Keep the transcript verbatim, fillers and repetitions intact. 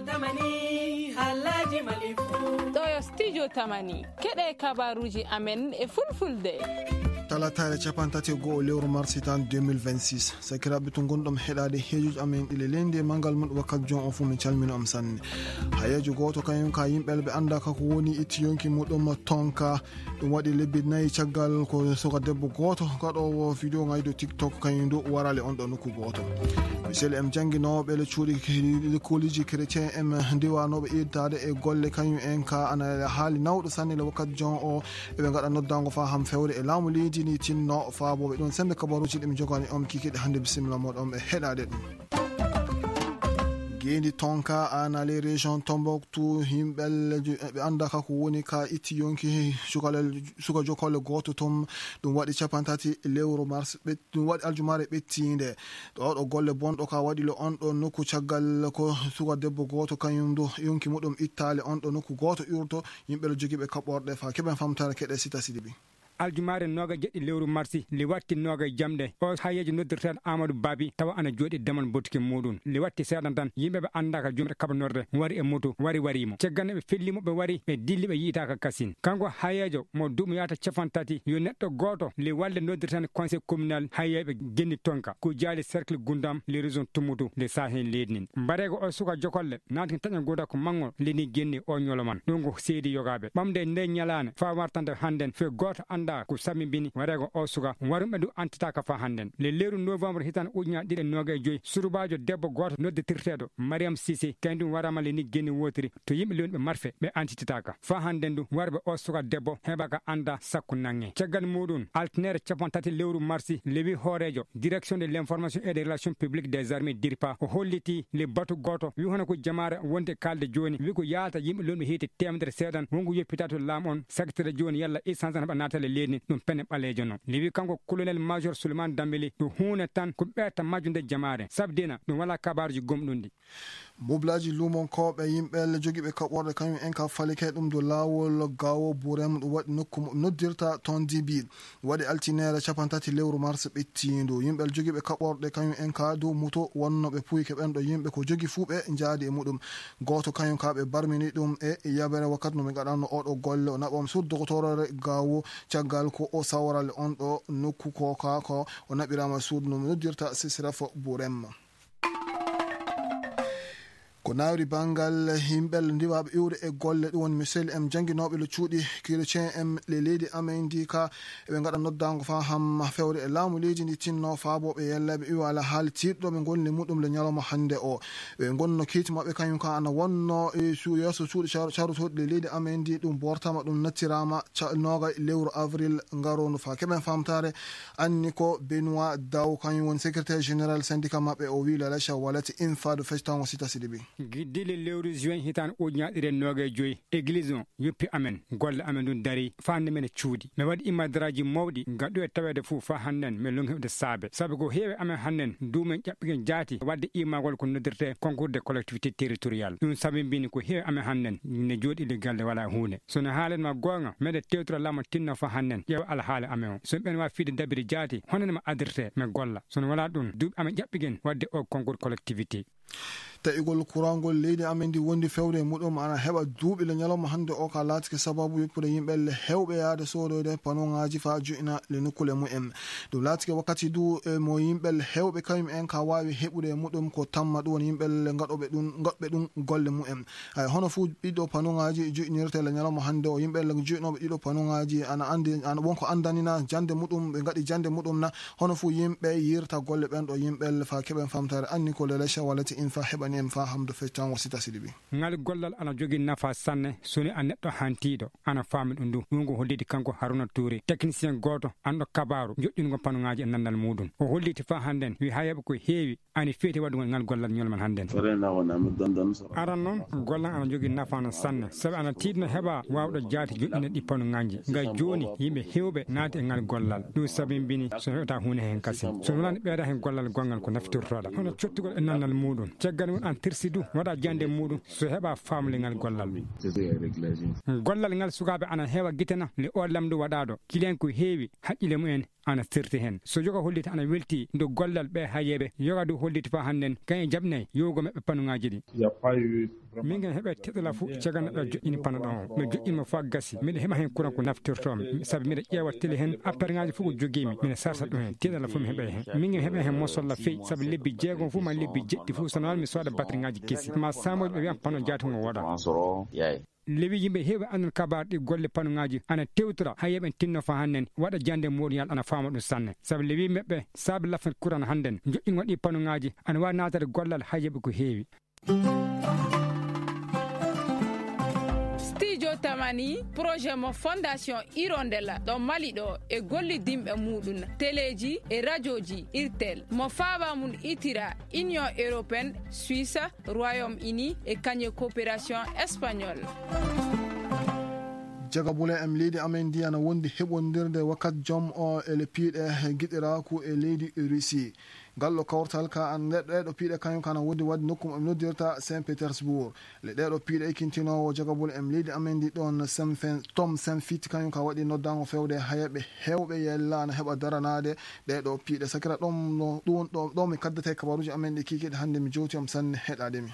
Tamani, haalaaji Mali fuu. Ɗo yo studio Tamani. Keɗe kabaruuji amen e fulfulde. Talataare capantati e go'o lewru mars hitan deux mille vingt-six. Sakiraaɓe to ngonɗon heɗaade heejuuji amen ɗi le leydi e manngal mum wakkati jon on fuu min calmina on sanne. Hayeejo gooto kañum ka yimɓe ɓe anndaa ka ko woni itti yonki muɗum tonka. Ɗum waɗi lebbi nayi caggal ko suka debbo gooto gaɗoowo video ngaydo TikTok kañum du warale on ɗo nokku gooto. Misel em jannginooɓe le cuuɗi lekkooliji chrétien em ndiwanooɓe ittaade e golle kañum en ka ana haali nawɗo sanne le wakkati jon o eɓe ngaɗa noddango faa ham fewre e laamu leydi ni tinno faabooɓe ɗum sembe kabaruuji ɗi mi jogani on kikiɗe hannde bisimilla moɗon e heɗaade ɗum. Gendi tonka ana les régions Tombouctou yimɓe ɓe annda ka ko woni ka itti yonki suka jokolle gooto ton. Ɗum waɗi capantati lewru mars ɓe- ɗum waɗi aljumaare ɓettiinde. Ɗo ɗo golle bonɗo ka waɗi le on ɗo nokku caggal ko suka debbo gooto kañum du yonki muɗum ittaale on ɗo nokku gooto urto. Yimɓe le jogiiɓe kaɓɓorɗe fa keɓen famtare keɗe sita sidibi. Aljumaare nooga jeɗɗi lewru marsi le watti nooga jamɗe o hayeejo noddirteeɗo amadou babi tawa ana jooɗi damal bottuki muɗum le watti seeɗan tan yimɓe ɓe anndaaka jumɗe kaɓanorde wari e moto wari wari mo cegganno ɓe felli mo ɓe wari ɓe dilli ɓe yiitaaka kasin kanko hayeejo mo duuɓi yaata capan tati yo neɗɗo gooto le walde noddirteeɗo conseil communal hayeeɓe genni tonka ko jaali cercle gundam le région tumutu le sahen leydi nin mbareego o suka jokolle naati taƴa gooda ko manngol leni genni o ñoloman ɗum ko seedi yogaaɓe ɓamde nde ñalaane faa wartande hannden fe gooto anndaa ko sammibini wareego o suka warumɓe du antitaaka faa hannden le leeru novembre hitan ujunaaji ɗiɗi e nooga e joyi surubaajo debbo gooto nodditirteeɗo mariam sise kañum waraama leni genni wootiri to yimɓe lewniɓe marfe ɓe antititaaka faa hannden du warɓe o suka debbo heɓaka anndaa sakko nange caggal muɗum altinaire capan tati lewru marsi lewi hooreejo direction de l'information et des relations publiques des armées dirpa o holliti le batu gooto wi hono ko jamaare wonde kaalde jooni wi ko yaalata yimɓe lomɓe hiite temedere seeɗan wongo yoppita to laam on sagtira jooni yalla essence tan heɓa naatale leydi ɗum pene ɓaleejo no lewi kanko colonel major souleymane dambeli ɗo huune tan ko ɓeeta majjunde jamaare sabdina ɗum wala kabaruji gomɗunɗi Mublaaji luumonkooɓe yimɓe jogiiɓe kaɓorɗe kañum en ka falike ɗum dow laawol gaawo burem ɗum waɗi nokku mo noddirta toon dibi waɗi altineere capantati lewru mars ɓettiindu yimɓe jogiiɓe kaɓorɗe kañum en ka dow muto wonnooɓe puyke ɓen ɗo yimɓe ko jogi fuu ɓe njaadi e muɗum gooto kañum ka ɓe barmini ɗum e yabere wakkati no ɓe ngaɗanno oɗo golle o naɓam sur dogotorore gaawo caggal ko o sawrale on ɗo nokku ko ka ko o naɓirama suudu no noddirta sisref burem Ko nawri banngal yimɓe ndiwaaɓe iwde e golle ɗum woni misel em jannginooɓe le cuuɗi kirecien em le leydi amen ndi ka eɓe ngaɗa noddaango faa ham fewre e laamu leydi ndi tinno faabooɓe yelleeɓe iwa ala haali tiiɗɗo ɓe ngonni muɗum le ñalawma hannde o ɓe ngonno kiiti maɓɓe kañum ka ana wonno e su- yeeso cuuɗi car- carotooɗi le leydi amen ndi ɗum bortama ɗum nattiraama ca- nooga lewru avril ngaroondu faa keɓen faamtaare anni ko benoit daw kañum woni secrétaire général syndicat maɓɓe o wi lalacha walati infa do fectango sita sidibi Giddi le lewru juin hitaan ujunaaɗi ɗiɗi e noogay joyi église on yoppi amen golle amen ɗum dari faa nde men cuuɗi mi waɗi immadaraaji mawɗi gaɗu e taweede fof faa hannden mi longi heɓde saabe sabu ko heewi amen hannden duumen ƴaɓɓigen jaati waɗde immagol ko noddirte concours de collectivité territorial ɗum sabi mbini ko heewi amen hannden ne jooɗi le galle wala huunde so no haalen ma goonga meɗe tewtora laamu tinno faa hannden ƴeewa alhaali amen o so ɓen waa fiide dabiri jaati hono ne ma addirte mi golla so no wala ɗum duuɓi amen ƴaɓɓigen waɗde o concours collectivité Taƴugol kuraangol leydi amen ndi wondi fewre e muɗum ana heɓa duuɓi le ñalawma hannde o ka laatike sababu yoppude yimɓe le hewɓe yaade soodoyde panongaaji faa jo'ina le nukkule mumen. Ɗum laatike wakkati du e mo yimɓe le hewɓe kañum en ka waawi heɓude e muɗum ko tamma ɗum woni yimɓe le gaɗoɓe ɗum gaɗɓe ɗum golle mumen. Hay hono fuu ɓiɗɗo panongaaji jo'inirte le ñalawma hannde o yimɓe le jo'inooɓe ɗiɗo panongaaji ana anndi ana wonko anndanina jannde muɗum ɓe ngaɗi jannde muɗum na Hono fuu yimɓe yirta golle ɓen ɗo yimɓe le faa keɓen famtaare anni ko lelecha walla ti infa heɓani en faa hamdo feccango sita siɗi ɓi. Ngal gollal ana jogii nafa sanne so ni a neɗɗo hantiiɗo ana faami ɗum ɗum ɗum ko holliti kanko haruna tuuri technicien gooto anɗo kabaaru joƴƴungo panuŋaaji e nanndal muuɗum o holliti faa hannden wi hayeeɓe ko heewi ani feeti waɗugol ngal gollal ñolmal hannden. Aran noon gollal ana jogii nafaano sanne sabi ana tiiɗno heɓa waawɗo jaati joɗɗinde ɗi panuŋaaji ngay jooni yimɓe heewɓe naati e ngal gollal ɗum sabimbini so heɓata huunde heen kasin so wonani ɓeyda heen gollal gonngal ko nafitortoɗa hono cottugol e nannal muuɗum caggal mum an tirsi du waɗa jande muuɗum so heɓa faamle ngal gollal gollal ngal sukaaɓe ana heewa gitana le o lamndu waɗaaɗo kilen ko heewi haqqile mumen ana serti heen so yoga holliti ana welti ndu gollal ɓe hayeeɓe yoga du holliti faa hannden kañe jaɓnay yowgo maɓɓe panuŋaaji ɗi Min ngam heɓa teɗala fof caggal neɗɗo joƴƴini pano ɗon o mi joƴƴini mo fof gasi miɗa heɓa heen kuran ko naftirtoomi sabu miɗa ƴeewa tele heen apparŋaaji fof ko jogiimi miɗa sarsa ɗum heen teɗala fof mi heɓa heen min ngam heɓa heen mosolla feewi sabu lebbi jeegom fof ma lebbi jeɗɗi fof so noon mi sooda batterie ŋaaji kesi ma saamoji ɓe wiyan pano jaati ngo woda. Lewi yimɓe heewi anndon kabaar ɗi golle panuŋaaji ana tewtora hay yoɓen tinno fa hannden waɗa jannde mooriyal ana faama ɗum sanne sabu lewi meɓɓe saabi lafat kuran hannden joƴƴingol ɗi panuŋaaji ana waawi naatade gollal hay yoɓe ko heewi. Studio Tamani, projet mo Fondation Hirondella ɗo Mali ɗo e gollidinɓe muɗum teleji e rajoji irtel mo faaba mum itira Union Européenne, Suisse, Royaume Uni e kañe coopération espagnol. Jagabule em leydi amen ndi ana wondi heɓondirde wakkat joom o e le piiɗe giɗiraaku e leydi Russie. Ngal ɗo kawtal ka an ɗeɗo piiɗe kañum kana wondi wadde nokku mo ɓe noddirta Saint Petersbourg. Le ɗeɗo piiɗe ekkintinoowo jagabule em leydi amen ndi ɗon Tom Senfit kañum ka waɗi noddango fewde hayaɓe hewɓe yella ana heɓa daranaade ɗeɗo piiɗe sakira ɗon ɗum ɗo mi kaddata e kabaruji amen ɗi kikiɗe hannde mi jowti om sanne heɗaade mi.